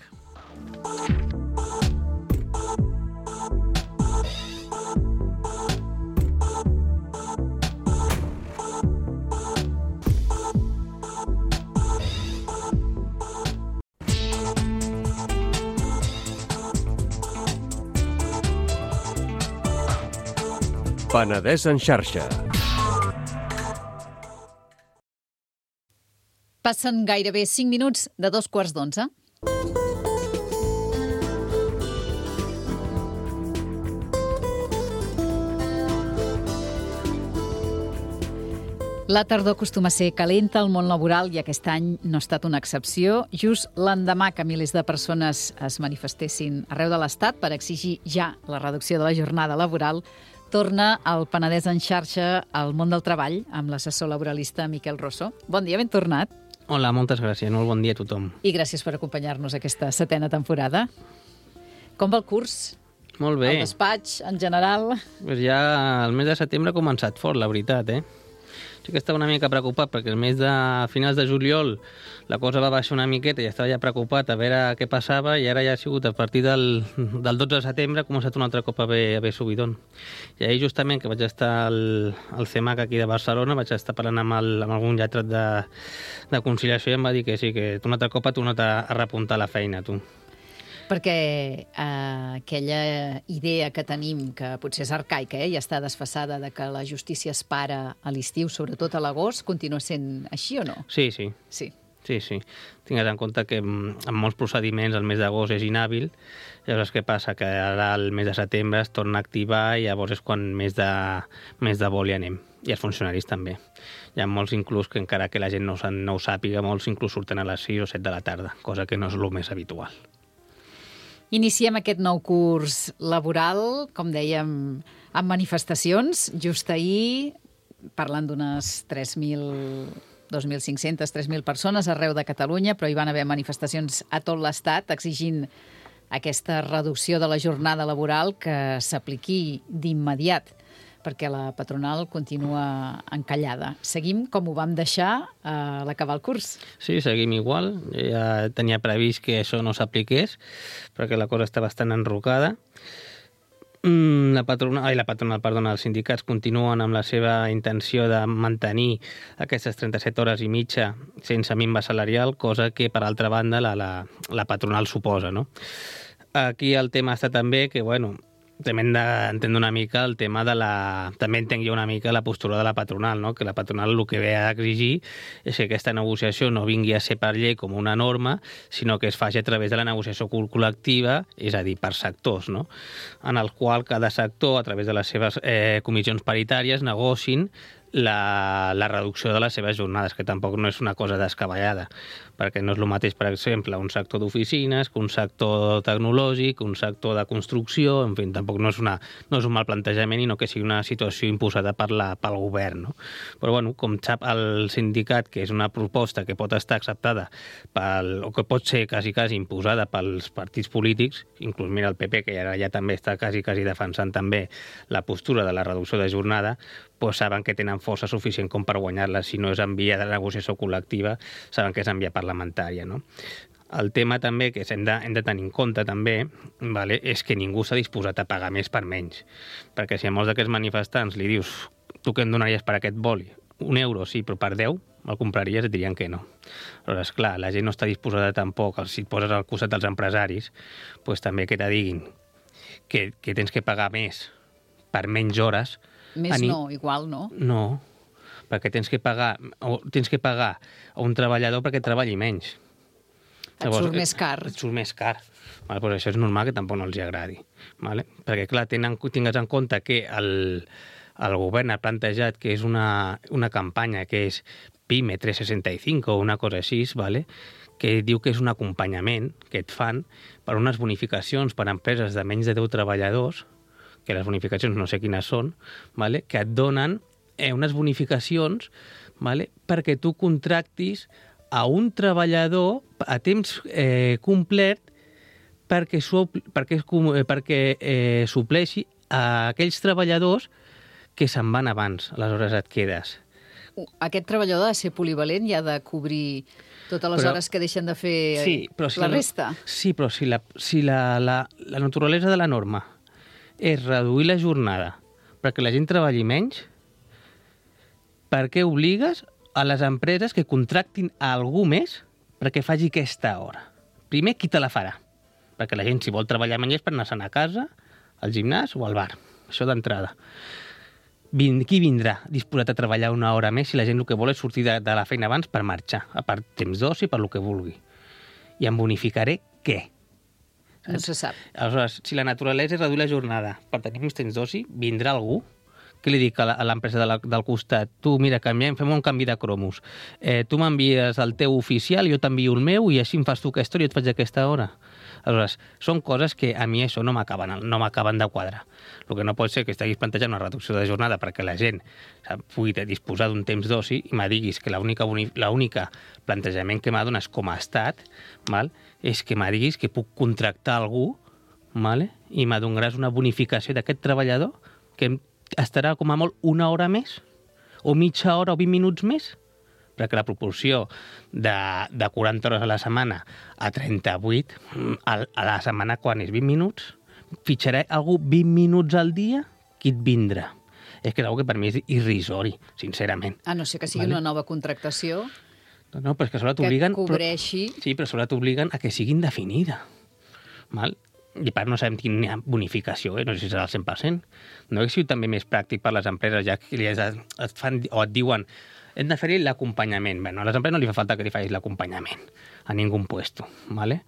Penedès en xarxa. Passen gairebé cinc minuts de dos quarts d'onze. La tardor acostuma a ser calenta al món laboral i aquest any no ha estat una excepció. Just l'endemà que milers de persones es manifestessin arreu de l'Estat per exigir ja la reducció de la jornada laboral, Torna al Penedès en xarxa al món del treball amb l'assessor laboralista Miquel Rosso. Bon dia, ben tornat. Hola, moltes gràcies. Molt bon dia a tothom. I gràcies per acompanyar-nos aquesta setena temporada. Com va el curs? Molt bé. El despatx, en general? Pues ja el mes de setembre ha començat fort, la veritat, eh? Sí que estava una mica preocupat perquè el mes de finals de juliol la cosa va baixar una miqueta i estava ja preocupat a veure què passava i ara ja ha sigut a partir del, del dotze de setembre ha començat un altre cop a haver, a haver subidon. I ahir justament que vaig estar al, al C E M A C aquí de Barcelona, vaig estar parlant amb, el, amb algun lletrat de, de conciliació i em va dir que sí, que un altre cop ha tornat a, a repuntar la feina, tu. Perquè eh, aquella idea que tenim, que potser és arcaica eh, i està desfassada, de que la justícia es para a l'estiu, sobretot a l'agost, continua sent així o no? Sí, sí. Sí. Sí, sí. Tingues en compte que en molts procediments el mes d'agost és inhàbil, llavors què passa? Que ara el mes de setembre es torna a activar i llavors és quan més de, més de vol hi anem. I els funcionaris també. Hi ha molts inclús que encara que la gent no, no ho sàpiga, molts inclús surten a les sis o set de la tarda, cosa que no és el més habitual. Iniciem aquest nou curs laboral, com dèiem, amb manifestacions. Just ahir, parlant d'unes tres mil, dos mil cinc-centes, tres mil persones arreu de Catalunya, però hi van haver manifestacions a tot l'Estat exigint aquesta reducció de la jornada laboral que s'apliqui d'immediat, perquè la patronal continua encallada. Seguim com ho vam deixar a l'acabar el curs. Sí, seguim igual. Ja tenia previst que això no s'apliqués, perquè la cosa està bastant enrocada. La patronal, ai, la patronal, perdona, els sindicats continuen amb la seva intenció de mantenir aquestes trenta-set hores i mitja sense minva salarial, cosa que, per altra banda, la, la, la patronal suposa, no? Aquí el tema està també que, bueno, també hem d'entendre una mica el tema de la... També entenc jo una mica la postura de la patronal, no? Que la patronal el que ve a exigir és que aquesta negociació no vingui a ser per llei com una norma, sinó que es faci a través de la negociació col·lectiva, és a dir, per sectors, no? En el qual cada sector, a través de les seves eh, comissions paritàries, negocin la, la reducció de les seves jornades, que tampoc no és una cosa descabellada, perquè no és el mateix, per exemple, un sector d'oficines que un sector tecnològic, un sector de construcció, en fi, tampoc no és, una, no és un mal plantejament i no que sigui una situació imposada per la, pel govern, no? Però, bueno, com sap el sindicat, que és una proposta que pot estar acceptada pel, o que pot ser quasi, quasi imposada pels partits polítics, inclús mira el P P, que ara ja també està quasi, quasi defensant també la postura de la reducció de jornada, doncs saben que tenen força suficient com per guanyar-la. Si no és en via de negociació col·lectiva, saben que és en via parlamentària, no? El tema també que hem de, hem de tenir en compte també, vale, és que ningú s'ha disposat a pagar més per menys. Perquè si a molts d'aquests manifestants li dius tu què em donaries per aquest boli? Un euro, sí, però per deu el compraries, et dirien que no. Aleshores, clar, la gent no està disposada tampoc, si et poses al costat dels empresaris, doncs també que te diguin que, que tens que pagar més per menys hores. Més no, igual no. No, perquè tens que pagar o tens que pagar a un treballador perquè treballi menys. Et Llavors, surt més car. Et surt més car. Vale, doncs això és normal que tampoc no els agradi. Vale? Perquè, clar, tenen, tingues en compte que el, el govern ha plantejat que és una, una campanya que és PYME tres seixanta i cinc o una cosa així, vale? Que diu que és un acompanyament que et fan per unes bonificacions per a empreses de menys de deu treballadors, que les bonificacions no sé quines són, vale? Que et donen eh, unes bonificacions, vale? Perquè tu contractis a un treballador a temps eh, complet perquè, supl perquè, perquè eh, supleixi a aquells treballadors que se'n van abans. Aleshores et quedes. Aquest treballador ha de ser polivalent i ha de cobrir totes les però, hores que deixen de fer sí, però si la, la resta. Sí, però si, la, si la, la, la naturalesa de la norma és reduir la jornada perquè la gent treballi menys, per què obligues a les empreses que contractin a algú més perquè faci aquesta hora? Primer, qui te la farà? Perquè la gent, si vol treballar menys, és per anar-se'n a casa, al gimnàs o al bar. Això d'entrada. Qui vindrà disposat a treballar una hora més si la gent el que vol és sortir de, de la feina abans per marxar, a part temps d'oci, per lo que vulgui? I em bonificaré què? No se sap. Aleshores, si la naturalesa és reduir la jornada per tenir més temps d'oci, vindrà algú què li dic a l'empresa de la, del costat? Tu, mira, canviem, fem un canvi de cromos. Eh, tu m'envies el teu oficial, jo t'envio el meu, i així em fas tu aquesta hora i jo et faig aquesta hora. Aleshores, són coses que a mi això no m'acaben no m'acaben de quadrar. El que no pot ser que estiguis plantejant una reducció de jornada perquè la gent pugui disposar d'un temps d'oci i me diguis que l'única l'única plantejament que m'ha donat com a estat, val, és que me diguis que puc contractar algú, vale, i me donaràs una bonificació d'aquest treballador que estarà com a molt una hora més, o mitja hora o vint minuts més, perquè la proporció de, de quaranta hores a la setmana a trenta-vuit a, a la setmana quan és vint minuts, fitxaré algú vint minuts al dia, qui et vindrà? És que és una que per mi és irrisori, sincerament. A no ser que sigui vale? Una nova contractació no, no, però és que sobre t'obliguen... Que cobreixi... Però, sí, però sobre t'obliguen a que sigui indefinida. Val? I per no sabem quina bonificació, eh? No sé si serà al cent per cent. No hauria sigut també més pràctic per les empreses, ja que et fan o et diuen hem de fer-hi l'acompanyament. Bé, a les empreses no li fa falta que li facis l'acompanyament a ningú puesto, ¿vale?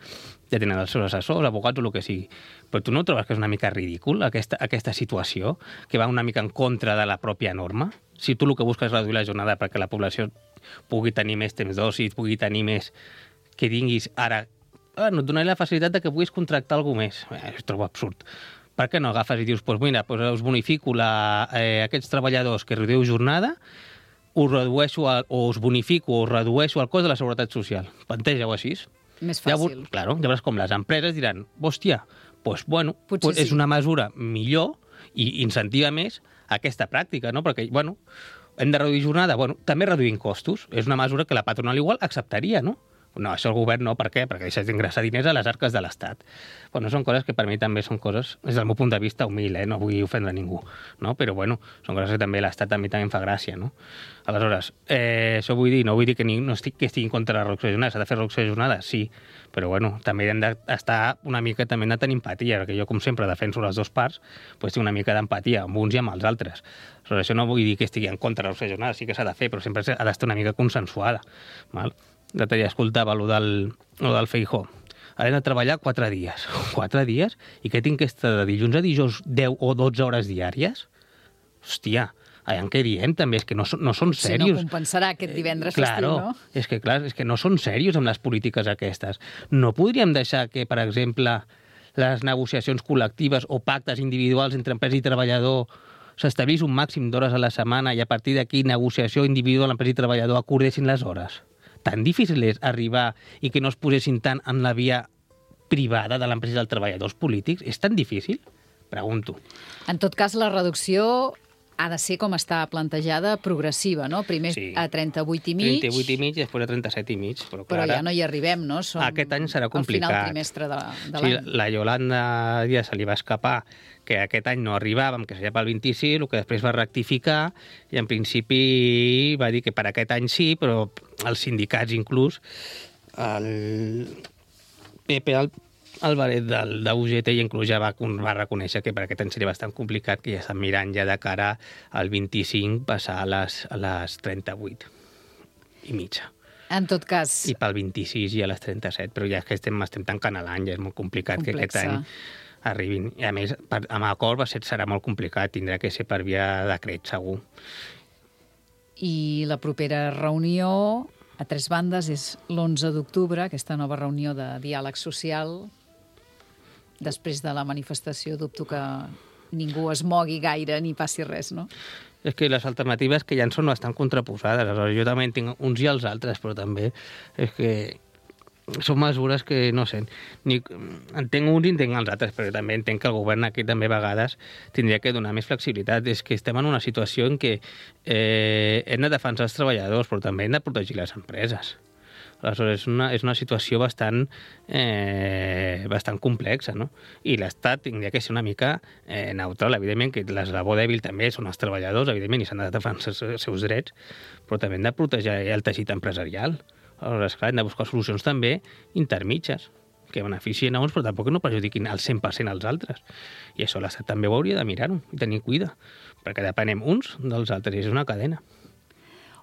Ja tenen els seus assessors, abogats o el que sigui. Però tu no trobes que és una mica ridícul aquesta, aquesta situació, que va una mica en contra de la pròpia norma? Si tu el que busques és reduir la jornada perquè la població pugui tenir més temps d'oci, pugui tenir més... que tinguis ara... Ah, no et donaré la facilitat de que puguis contractar algú més. Eh, ho trobo absurd. Per què no agafes i dius, doncs mira, doncs us bonifico la, eh, aquests treballadors que reduïu jornada, us redueixo a, o us bonifico o us redueixo el cost de la Seguretat Social. Planteja-ho així. Més fàcil. Ja, claro, llavors com les empreses diran, hòstia, doncs bueno, pues sí. És una mesura millor i incentiva més aquesta pràctica, no? Perquè, bueno, hem de reduir jornada, bueno, també reduïm costos. És una mesura que la patronal igual acceptaria, no? No, això el govern no, per què? Perquè deixes d'ingressar diners a les arques de l'Estat. Bueno, són coses que per mi també són coses, des del meu punt de vista humil, eh? No vull ofendre ningú, no? Però bueno, són coses que també l'Estat també també em fa gràcia, no? Aleshores, eh, això vull dir, no vull dir que, ni, no estic, que estigui en contra de la reducció de jornada, s'ha de fer reducció de jornada, sí, però bueno, també hem d'estar una mica, també hem de tenir empatia, perquè jo, com sempre, defenso les dues parts, doncs tinc una mica d'empatia amb uns i amb els altres. Aleshores, això no vull dir que estigui en contra de la reducció de jornada, sí que s'ha de fer, però sempre ha d'estar una mica consensuada, val? L'altre dia escoltava allò del, allò del Feijóo. Ara hem de treballar quatre dies. Quatre dies? I què tinc que estar de dilluns a dijous deu o dotze hores diàries? Hòstia, allà en què diem també? És que no, no són serios. Si no compensarà aquest divendres eh, claro, festiu, no? És que, clar, és que no són serios amb les polítiques aquestes. No podríem deixar que, per exemple, les negociacions col·lectives o pactes individuals entre empresa i treballador s'establís un màxim d'hores a la setmana i a partir d'aquí negociació individual empresa i treballador acordessin les hores? Tan difícil és arribar i que no es posessin tant en la via privada de l'empresa dels treballadors polítics? És tan difícil? Pregunto. En tot cas, la reducció ha de ser com està plantejada, progressiva, no? Primer sí. A trenta-vuit i mig. trenta-vuit i mig i després a trenta-set i mig. Però, però clar, ja no hi arribem, no? Som aquest any serà complicat. Al final trimestre de, de sí, l'any. La Yolanda ja se li va escapar que aquest any no arribàvem, que seria pel vint-i-sis, el que després va rectificar, i en principi va dir que per aquest any sí, però els sindicats inclús, el Pepe Álvarez d'U G T inclús ja va, va reconèixer que per aquest any seria bastant complicat, que ja estan mirant ja de cara al vint-i-cinc passar a les, a les trenta-vuit i mitja. En tot cas... I pel vint-i-sis i a les trenta-set, però ja és que estem, estem tancant l'any, ja és molt complicat Complexa. Que aquest any arribin. I a més, per, amb acord va ser, serà molt complicat, tindrà que ser per via decret, segur. I la propera reunió a tres bandes és l'onze d'octubre, aquesta nova reunió de diàleg social. Després de la manifestació dubto que ningú es mogui gaire ni passi res, no? És que les alternatives que ja en són bastant contraposades. Aleshores, jo també en tinc uns i els altres, però també és que són mesures que, no sé, ni, entenc uns i entenc els altres, però també entenc que el govern aquí també a vegades tindria que donar més flexibilitat. És que estem en una situació en què eh, hem de defensar els treballadors, però també hem de protegir les empreses. Aleshores, és una, és una situació bastant, eh, bastant complexa, no? I l'Estat tindria que ser una mica eh, neutral. Evidentment que l'eslabó dèbil també són els treballadors, evidentment, i s'han de defensar els seus drets, però també hem de protegir el teixit empresarial. Aleshores, clar, hem de buscar solucions també intermitges, que beneficien a uns, però tampoc no perjudiquin al cent per cent als altres. I això l'Estat també ho hauria de mirar-ho i tenir cuida, perquè depenem uns dels altres, i és una cadena.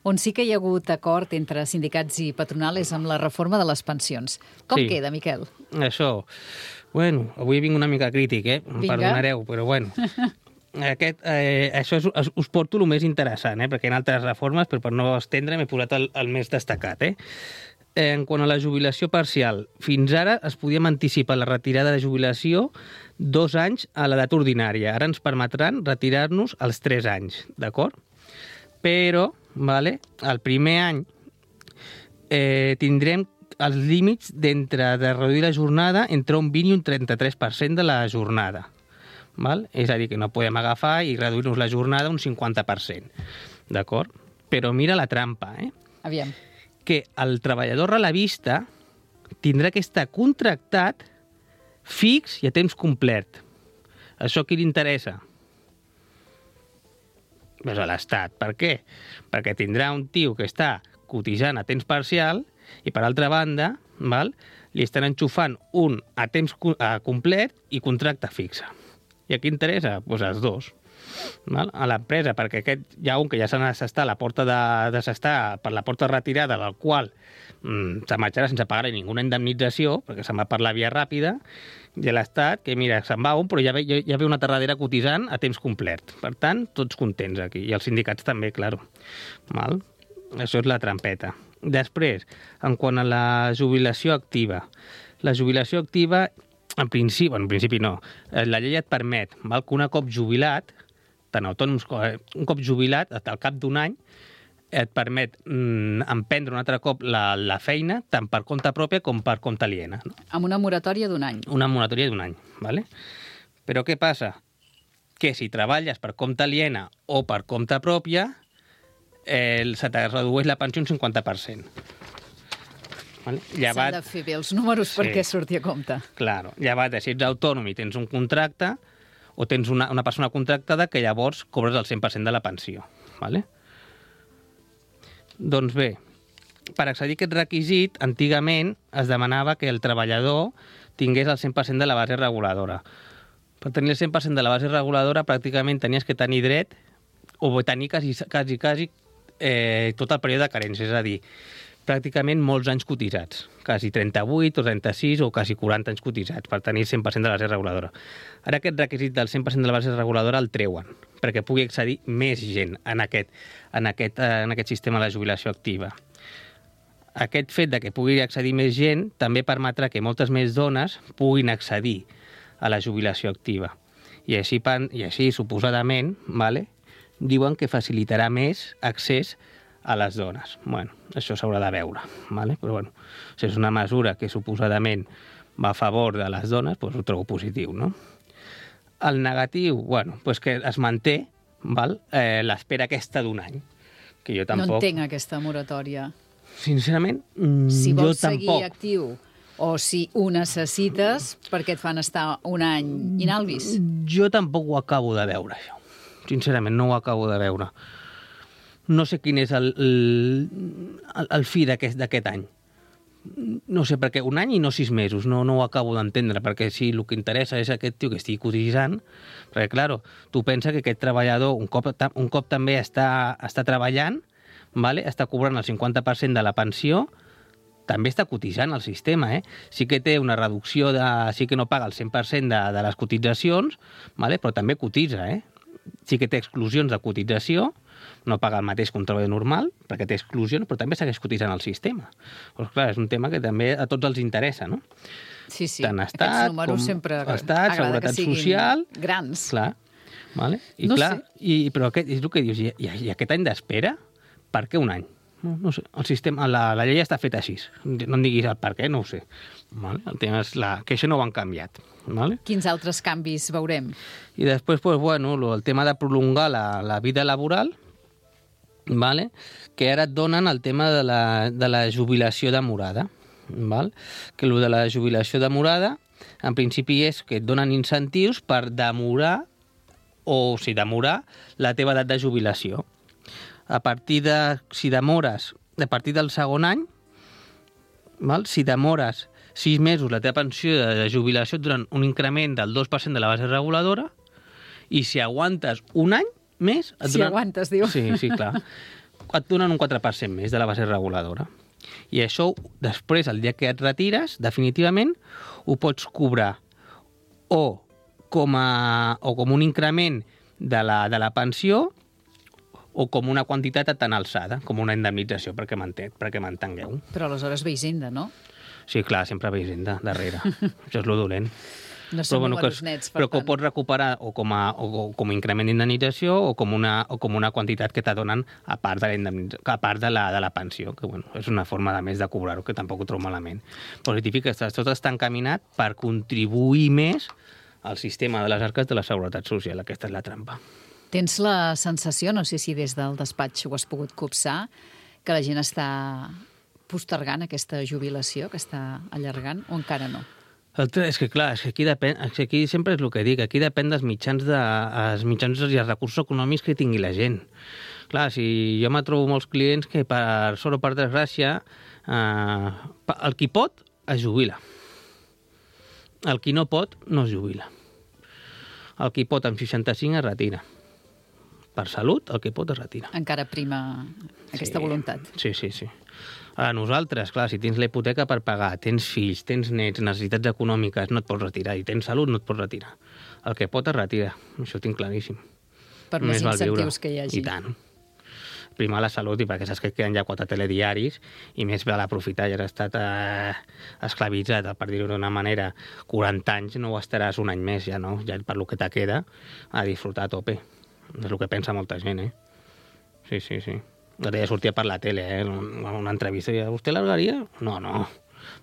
On sí que hi ha hagut acord entre sindicats i patronal és amb la reforma de les pensions. Com sí. queda, Miquel? Això, bueno, avui vinc una mica crític, eh? Em Vinga. Perdonareu, però bueno. aquest, eh, això és, us porto el més interessant, eh, perquè hi ha altres reformes, però per no estendre m'he posat el, el més destacat. Eh? En quant a la jubilació parcial, fins ara es podíem anticipar la retirada de jubilació dos anys a l'edat ordinària. Ara ens permetran retirar-nos als tres anys, d'acord? Però, vale, el primer any eh, tindrem els límits d'entre de reduir la jornada entre un vint i un trenta-tres per cent de la jornada. Val? És a dir, que no podem agafar i reduir-nos la jornada un cinquanta per cent. D'acord? Però mira la trampa, eh? Aviam. Que el treballador relevista tindrà que estar contractat fix i a temps complet. Això qui li interessa? Pues a l'Estat. Per què? Perquè tindrà un tio que està cotitzant a temps parcial i, per altra banda, val, li estan enxufant un a temps complet i contracte fixe. I a qui interessa? Doncs pues els dos. Val? A l'empresa, perquè aquest hi ha un que ja s'ha d'assestar a la porta de, de s'estar per la porta retirada, del qual mm, se marxarà sense pagar ninguna indemnització, perquè se'n va per la via ràpida, i l'Estat, que mira, se'n va un, però ja ve, ja ve una terradera cotitzant a temps complet. Per tant, tots contents aquí. I els sindicats també, clar. Val? Això és la trampeta. Després, en quant a la jubilació activa. La jubilació activa, en principi, bueno, en principi no, la llei et permet, val, que un cop jubilat, tant autònoms com un cop jubilat, al cap d'un any, et permet mm, emprendre un altre cop la, la feina, tant per compte pròpia com per compte aliena. No? Amb una moratòria d'un any. Una moratòria d'un any, vale? Però què passa? Que si treballes per compte aliena o per compte pròpia, eh, se te redueix la pensió un cinquanta per cent. Vale? Llevat... S'han de fer bé els números sí. perquè surti a compte. Claro. Llevat de si ets autònom i tens un contracte, o tens una, una persona contractada que llavors cobres el cent per cent de la pensió. Vale? Doncs bé, per accedir a aquest requisit, antigament es demanava que el treballador tingués el cent per cent de la base reguladora. Per tenir el cent per cent de la base reguladora, pràcticament tenies que tenir dret o tenir quasi, quasi, quasi eh, tot el període de carència, és a dir, pràcticament molts anys cotitzats, quasi trenta-vuit o trenta-sis o quasi quaranta anys cotitzats per tenir el cent per cent de la base reguladora. Ara aquest requisit del cent per cent de la base reguladora el treuen, perquè pugui accedir més gent en aquest, en aquest, en aquest sistema de jubilació activa. Aquest fet de que pugui accedir més gent també permetrà que moltes més dones puguin accedir a la jubilació activa. I així, i així suposadament, vale, diuen que facilitarà més accés a les dones. Bueno, això s'haurà de veure, vale? Però bueno, si és una mesura que suposadament va a favor de les dones, doncs ho trobo positiu, no? El negatiu, bueno, doncs que es manté, val? Eh, l'espera aquesta d'un any, que jo tampoc... No entenc aquesta moratòria. Sincerament, mm, si jo tampoc. Si vols seguir actiu o si ho necessites, per què et fan estar un any inalvis? Jo tampoc ho acabo de veure, això. Sincerament, no ho acabo de veure. No sé quin és el, el, el fi d'aquest any. No sé, perquè un any i no sis mesos, no, no ho acabo d'entendre, perquè si el que interessa és aquest tio que estigui cotitzant, perquè, clar, tu pensa que aquest treballador, un cop, un cop també està, està treballant, vale? Està cobrant el cinquanta per cent de la pensió, també està cotitzant el sistema, eh? Sí que té una reducció, de, sí que no paga el cent per cent de, de les cotitzacions, vale? Però també cotitza, eh? Sí que té exclusions de cotització, no paga el mateix que un treballador normal, perquè té exclusions, però també segueix cotitzant el sistema. Doncs clar, és un tema que també a tots els interessa, no? Sí, sí. Tant Estat, aquests números com sempre Estat, Seguretat Social... grans. Clar, vale? I no clar, sé. i, però aquest, és el que dius, i, i aquest any d'espera, per què un any? No, no sé, el sistema, la, la llei està feta així. No em diguis el per què, no ho sé. Vale? El tema és la, que això no ho han canviat. Vale? Quins altres canvis veurem? I després, pues, bueno, el tema de prolongar la, la vida laboral, vale? Que ara et donen el tema de la, de la jubilació demorada. Val? Que el de la jubilació demorada, en principi és que et donen incentius per demorar, o si demorar, la teva edat de jubilació. A partir de, si demores, a partir del segon any, val? Si demores sis mesos la teva pensió de, de jubilació et donen un increment del dos per cent de la base reguladora, i si aguantes un any més... Et si donen... aguantes, diu. Sí, sí, clar. Et donen un quatre per cent més de la base reguladora. I això, després, el dia que et retires, definitivament, ho pots cobrar o com, a, o com un increment de la, de la pensió o com una quantitat tan alçada, com una indemnització, perquè m'entengueu. Però aleshores ve Hisenda, no? Sí, clar, sempre ve Hisenda darrere. Això és lo dolent. No són bueno, números nets, per però tant. que ho pots recuperar o com a, o com a increment d'indemnització o com una, o com una quantitat que t'adonen a part de la, a part de la, de la pensió, que bueno, és una forma de més de cobrar-ho, que tampoc ho trobo malament. Però el típic és que tot està encaminat per contribuir més al sistema de les arques de la Seguretat Social. Aquesta és la trampa. Tens la sensació, no sé si des del despatx ho has pogut copsar, que la gent està postergant aquesta jubilació, que està allargant, o encara no? És que, clar, és que aquí, depèn, és que aquí sempre és el que dic, aquí depèn dels mitjans, de, els mitjans i els recursos econòmics que tingui la gent. Clar, si jo me trobo molts clients que per sort o per desgràcia, eh, el qui pot es jubila. El qui no pot no es jubila. El qui pot amb seixanta-cinc es retira. Per salut, el que pot es retira. Encara prima aquesta sí. voluntat. Sí, sí, sí. A nosaltres, clar, si tens la hipoteca per pagar, tens fills, tens nets, necessitats econòmiques, no et pots retirar. I tens salut, no et pots retirar. El que pot es retira. Això ho tinc claríssim. Per més incentius que hi hagi. I tant. Primar la salut, i perquè saps que queden ja quatre telediaris, i més val aprofitar, ja has estat eh, esclavitzat, per dir-ho d'una manera, quaranta anys, no ho estaràs un any més, ja no? Ja per lo que te queda, a disfrutar a tope. És el que pensa molta gent, eh? Sí, sí, sí. Ara ja sortia per la tele, eh? Una entrevista, i vostè largaria? No, no,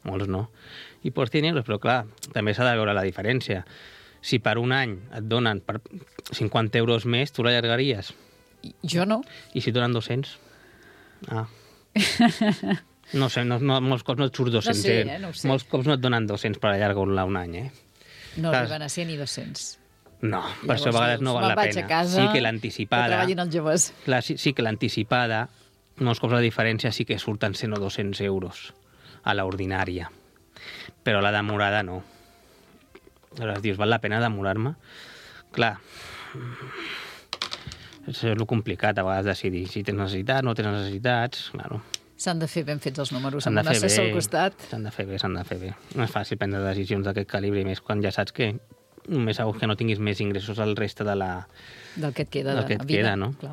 molts no. I pots tenir euros, però clar, també s'ha de veure la diferència. Si per un any et donen per cinquanta euros més, tu l'allargaries? Jo no. I si et donen dos-cents? Ah. No sé, no, no, molts cops no et surt dos-cents. No sé, eh? No ho sé. Molts cops no et donen dos-cents per allargar-la un any, eh? No arriben a ser ni dos-cents. No, per això a vegades no val la pena. Casa, sí que l'anticipada... Que treballin els joves. Clar, sí, sí que l'anticipada, molts cops la diferència sí que surten cent o dos-cents euros a l'ordinària. Però la demorada no. Aleshores dius, val la pena demorar-me? Clar, és el complicat a vegades decidir si tens necessitats, no tens necessitats, claro. S'han de fer ben fets els números, amb un assessor al costat. S'han de fer bé, s'han de fer bé. No és fàcil prendre decisions d'aquest calibre, més quan ja saps que només segur que no tinguis més ingressos al reste de la... Del que et queda del que et de vida. Queda, no? Clar.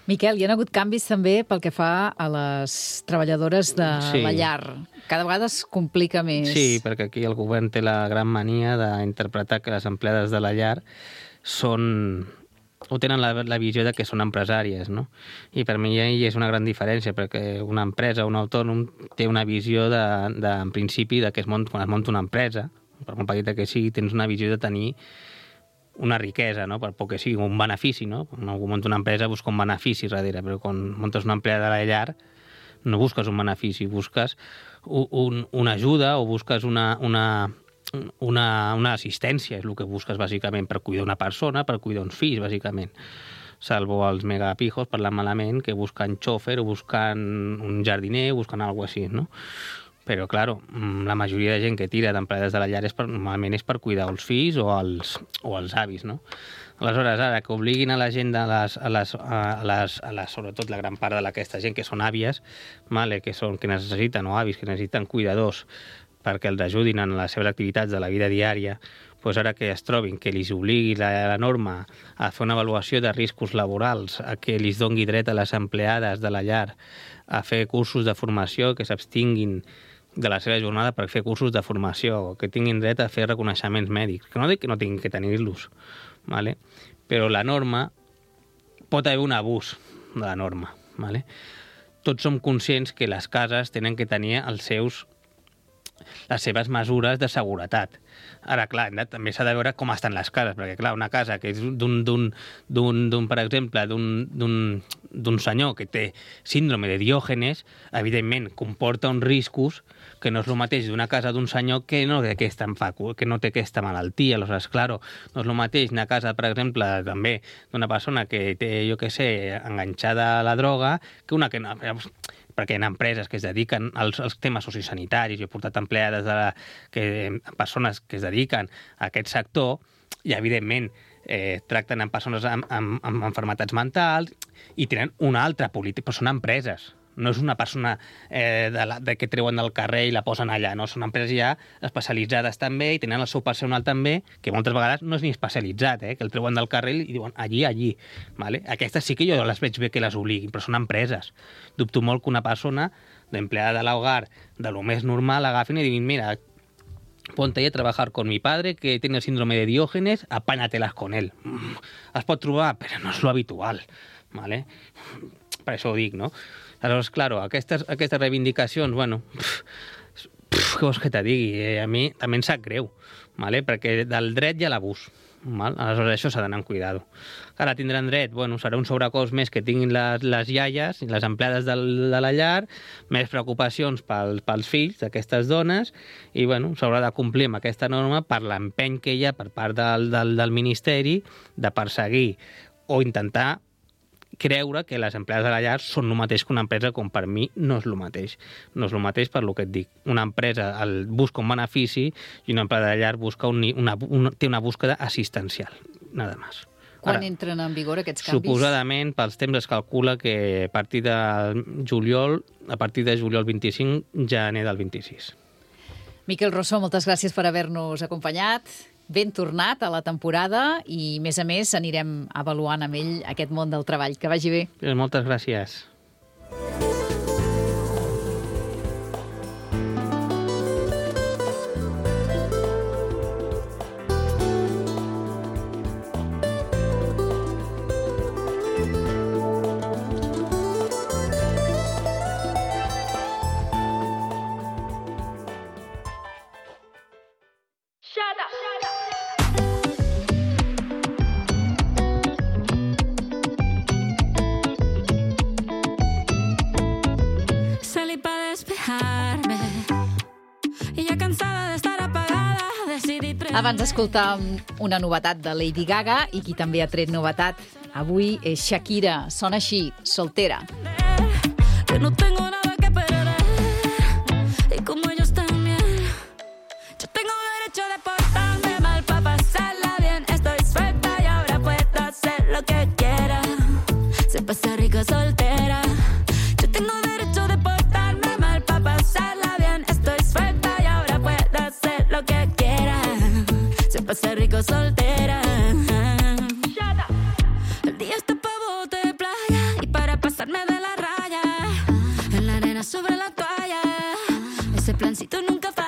Miquel, hi ha hagut canvis també pel que fa a les treballadores de sí. la llar. Cada vegada es complica més. Sí, perquè aquí el govern té la gran mania d'interpretar que les empleades de la llar són... o tenen la, la visió de que són empresàries, no? I per mi hi és una gran diferència, perquè una empresa, un autònom, té una visió de, de, en principi, de que es mont, quan es munta una empresa, per molt petita que sigui, tens una visió de tenir una riquesa, no? Per poc que sigui, un benefici, no? Quan algú munta una empresa busca un benefici darrere, però quan muntes una empleada de la llar no busques un benefici, busques un, un, una ajuda o busques una, una, una, una assistència, és el que busques bàsicament per cuidar una persona, per cuidar uns fills, bàsicament. Salvo els megapijos, parlant malament, que busquen xòfer o busquen un jardiner o busquen alguna cosa així, no? Però, clar, la majoria de gent que tira d'empleades de la llar és per, normalment és per cuidar els fills o els, o els avis, no? Aleshores, ara, que obliguin a la gent, a les, a les, a les, a les, sobretot la gran part d'aquesta gent que són àvies, vale, que, són, que necessiten, o avis, que necessiten cuidadors perquè els ajudin en les seves activitats de la vida diària, doncs ara que es trobin que els obligui la, la norma a fer una avaluació de riscos laborals, a que els doni dret a les empleades de la llar a fer cursos de formació, que s'abstinguin de la seva jornada per fer cursos de formació, que tinguin dret a fer reconeixements mèdics, que no dic que no tinguin que tenir-los, ¿vale? Però la norma, pot haver un abús de la norma, ¿vale? Tots som conscients que les cases tenen que tenir els seus, les seves mesures de seguretat. Ara, clar, també s'ha de veure com estan les cases, perquè, clar, una casa que és d'un, d'un, d'un, d'un per exemple, d'un, d'un, d'un senyor que té síndrome de Diògenes, evidentment comporta uns riscos que no és el mateix d'una casa d'un senyor que no té aquesta, que no té aquesta malaltia. Aleshores, clar, no és el mateix una casa, per exemple, també d'una persona que té, jo què sé, enganxada a la droga, que una que no... perquè hi ha empreses que es dediquen als, als temes sociosanitaris, jo he portat empleades de la, que, persones que es dediquen a aquest sector i, evidentment, eh, tracten amb persones amb, amb, amb malalties mentals i tenen una altra política, però són empreses, No és una persona eh, de la, de que treuen del carrer i la posen allà, no? Són empreses ja especialitzades també i tenen el seu personal també, que moltes vegades no és ni especialitzat, eh? Que el treuen del carrer i diuen allí, allí. Vale? Aquestes sí que jo les veig bé que les obliguin, però són empreses. Dubto molt que una persona d'empleada de l'hogar, de lo més normal, agafin i diguin, mira, ponte ahí a trabajar con mi padre que tiene el síndrome de Diógenes, apáñatelas con él. Mm, es pot trobar, però no és lo habitual. ¿Vale? Per això ho dic, no? Aleshores, claro, aquestes, aquestes reivindicacions, bueno, pff, pff, què vols que te digui? Eh, a mi també em sap greu, ¿vale? Perquè del dret hi ha l'abús. Val? Aleshores, això s'ha d'anar amb cuidado. Ara tindran dret, bueno, serà un sobrecost més que tinguin les, les iaies i les empleades del, de la llar, més preocupacions pel, pels fills d'aquestes dones i, bueno, s'haurà de complir amb aquesta norma per l'empeny que hi ha per part del, del, del Ministeri de perseguir o intentar creure que les empleades de la llar són el mateix que una empresa, com per mi no és el mateix. No és el mateix per lo que et dic. Una empresa el busca un benefici i una empleada de la llar busca un, una, una, té una búsqueda assistencial. Nada más. Quan Ara, entren en vigor aquests canvis? Suposadament, pels temps es calcula que a partir de juliol, a partir de juliol vint-i-cinc, gener del vint-i-sis. Miquel Rossó, moltes gràcies per haver-nos acompanyat. Ben tornat a la temporada i, a més a més, anirem avaluant amb ell aquest món del treball. Que vagi bé. Moltes gràcies. Abans d'escoltar una novetat de Lady Gaga i qui també ha tret novetat avui és Shakira. Sona així, Soltera. Que no tengo nada que perder y como ellos también yo tengo derecho de portarme mal para pasarla bien. Estoy suelta y ahora puedo hacer lo que quiera. Se pasa rico soltera. Yo tengo derecho de portarme mal para pasarla bien. Estoy suelta y ahora puedo hacer lo que quiera. Se pasa rico soltera. El día está pa' bote de playa y para pasarme de la raya. En la arena sobre la toalla. Ese plancito nunca falla.